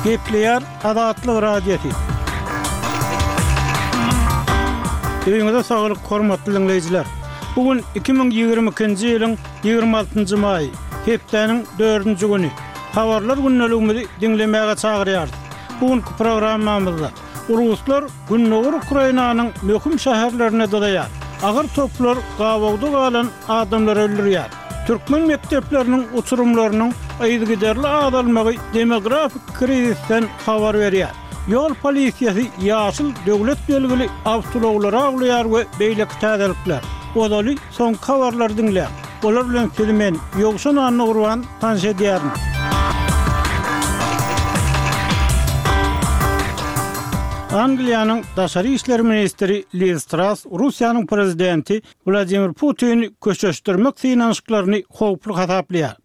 Gepleýär Azatlyk Radiosy. Öýüňize saglyk, hormatly diňleýjiler! Bu gün 2022-nji ýylyň 26-njy maýy, hepdäniň dördünji güni. Habarlar gündeligimizi diňlemäge çagyrýarys. Bu günki programmamyzda Ruslar gündogar Ukrainanyň möhüm şäherlerine dyzaýar. Agyr toplar gabawda galan adamlary öldürýär. Türkmen mekdepleriniň uçurymlarynyň yzygiderli azalmagy demografik krizisden habar berýär. Ýol polisiýasy ýaşyl döwlet belgili awtoulaglary awlaýar we beýleki täzelikler. Ozaly soňky habarlary diňläň. Olar bilen sizi men, Ýowşan Annagurban, tanyş edýärin. Angliýanyň daşary işler ministri Liz Trass Russiýanyň prezidenti Wladimir Putini köşeşdirmek synanyşyklaryny howply hasaplaýar.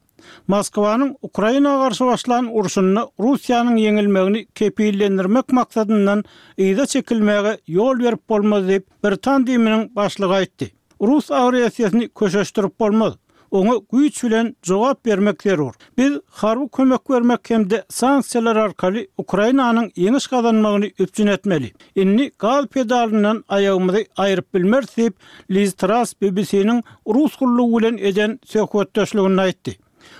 Moskwanyň Ukraina garşy başlan urşunda Russiýanyň ýeňilmegini kepillendirmek maksadyndan yza çekilmäge ýol berip bolmaz diýip, britan DIM-niň başlygy aýtdy. Rus agressiýasyny köşeşdirip bolmaz. Oňa güýç bilen jogap bermek zerur. Biz harby kömek bermek hem-de sanksiýalar arkaly Ukrainanyň ýeňiş gazanmagyny üpjün etmeli. Indi gaz pedalyndan aýagymyzy aýryp bilmeris diýip, Liz Trass BBC-niň Rus gullugy bilen eden söhbetdeşliginde aýtdy.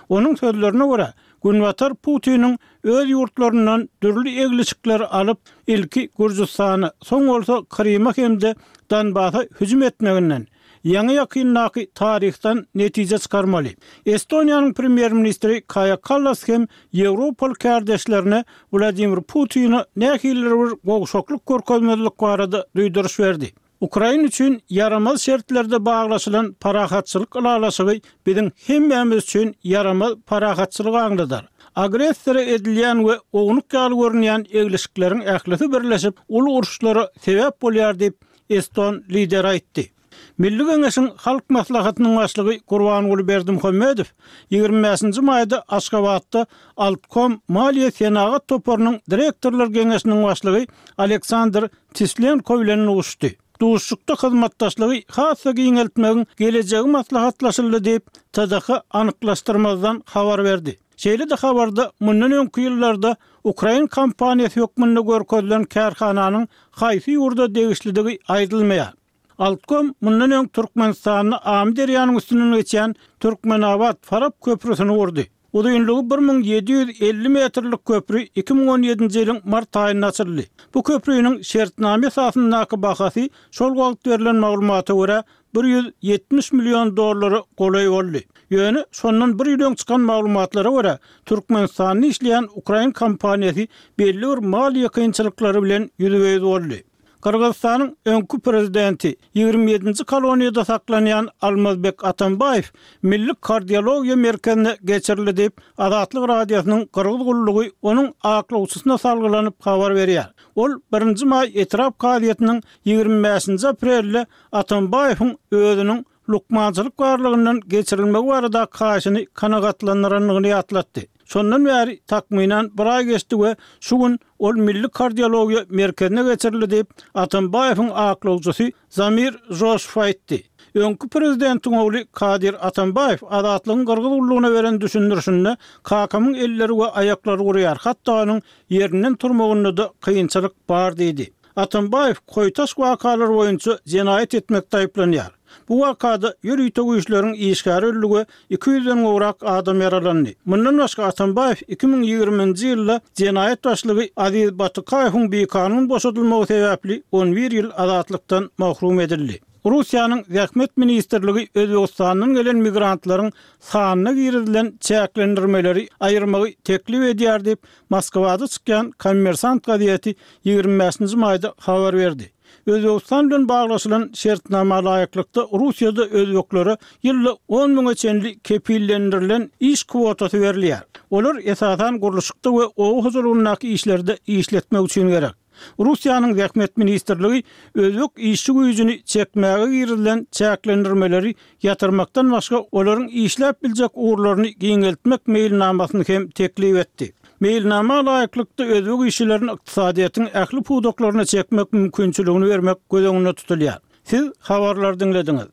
Onuň sözlerine görä, Günbatar Putiniň öz ýurtlaryndan dürli eglişikleri alyp, ilki Gürjüstana, soň bolsa Kryma hem-de Donbasa hüjüm etmeginden, ýaňy-ýakyndaky taryhdan netije çykarmaly. Estoniýanyň premýer-ministri Kaýa Kallas hem ýewropaly kärdeşlerine Wladimir Putine nähilidir bir gowşaklyk görkezmezlik barada duýduryş berdi. Ukraina üçin ýaramaz şertlerde baglaşylan parahatçylyk ylalaşygy biziň hemmämiz üçin ýaramaz parahatçylygy aňladar. Agressora edilýän we ownuk ýaly görünýän eglişikleriň ählisi birleşip uly uruşlara sebäp bolýar diýip, eston lideri aýtdy. Milli Geňeşiň Halk Maslahatynyň Başlygy Gurbanguly Berdimuhamedow 25-nji maýda Aşgabatda Altkom maliýe-senagat toparynyň direktorlar geňeşiniň başlygy Aleksandr Tislenko bilen duşuşdy. Duşuşykda hyzmatdaşlygy has-da giňeltmegiň gelejegi maslahatlaşyldy diýip, TDH anyklaşdyrmazdan habar berdi. Şeýle-de habarda mundan öňki ýyllarda ukrain kompaniýasy hökmünde görkezilen kärhananyň haýsy ýurda degişlidigi aýdylmaýar. Altkom mundan öň Türkmenistanda Amyderýanyň üstünden geçýän Türkmenabat, Farap köprüsini gurdy. Uzynlygy 1750 metrlik köpri 2017-nji ýylyň mart aýynda açyldy. Bu köprüniň şertnama esasyndaky bahasy şol wagt berlen maglumata görä 170 million dollara golaý boldy. Ýöne şondan bir ýyl öň çykan maglumatlara görä, Türkmenistanda işleýän ukrain kompaniýasy belli bir maliýe kynçylyklary bilen ýüzbe-ýüz boldy. Gyrgyzystanyň öňki prezidenti, ýigrimi ýedinji koloniýada saklanýan Almazbek Atambaýew Milli kardiologiýa merkezine geçirildi diýip, Azatlyk Radiosynyň Gyrgyz gullugy onuň aklawçysyna salgylanyp habar berýär. Ol birinji maý etrap kazyýetiniň ýigrimi bäşinji aprelde Atambaýewiň özüniň lukmançylyk barlagyndan geçirilmegi baradaky haýyşyny kanagatlandyrandygyny ýatlatdy. Şondan bäri takmynan bir aý geçdi we şu gün ol Milli kardiologiýa merkezine geçirildi diýip, Atambaýewiň aklawçysy Zamir Joşew aýtdy. Öňki prezidentiň ogly Kadyr Atambaýew Azatlygyň Gyrgyz gullugyna beren düşündirişinde, Kakamyň elleri we aýaklary gurýar, hatda onuň ýerinden turmagynda-da kynçylyk bar diýdi. Atambaýew Koýtaş wakalary boýunça jenaýat etmekde aýyplanýar. Bu wakada ýörite güýçleriň işgäri öldi we 200-den gowrak adam ýaralandy. Mundan başga Atambaýew 2020-nji ýylda jenaýat başlygy Aziz Batykaýewiň bikanun boşadylmagy sebäpli on bir ýyl azatlykdan mahrum edildi. Russiýanyň Zähmet ministrligi Özbegistandan gelen migrantlaryň sanyna girizilen çäklendirmeleri aýyrmagy teklip edýär diýip, Moskwada çykýan Kommersant gazeti 25-nji maýda habar berdi. Özbegistan bilen baglaşylan şertnama laýyklykda, Russiýada özbeklere ýylda on müňe çenli kepillendirilen iş kwotasy berilýär. Olar esasan gurluşykda we oba hojalygyndaky işlerde işletmek üçin gerek. Russiýanyň Zähmet ministrligi özbek işçi güýjüni çekmäge girizilen çäklendirmeleri ýatyrmakdan başga olaryň işläp biljek ugurlaryny giňeltmek meýilnamasyny hem teklip etdi. Meýilnama laýyklykda özbek işçilerini ykdysadyýetiň ähli pudaklaryna çekmek mümkinçiligini bermek göz öňünde tutulýar. Siz habarlary diňlediňiz.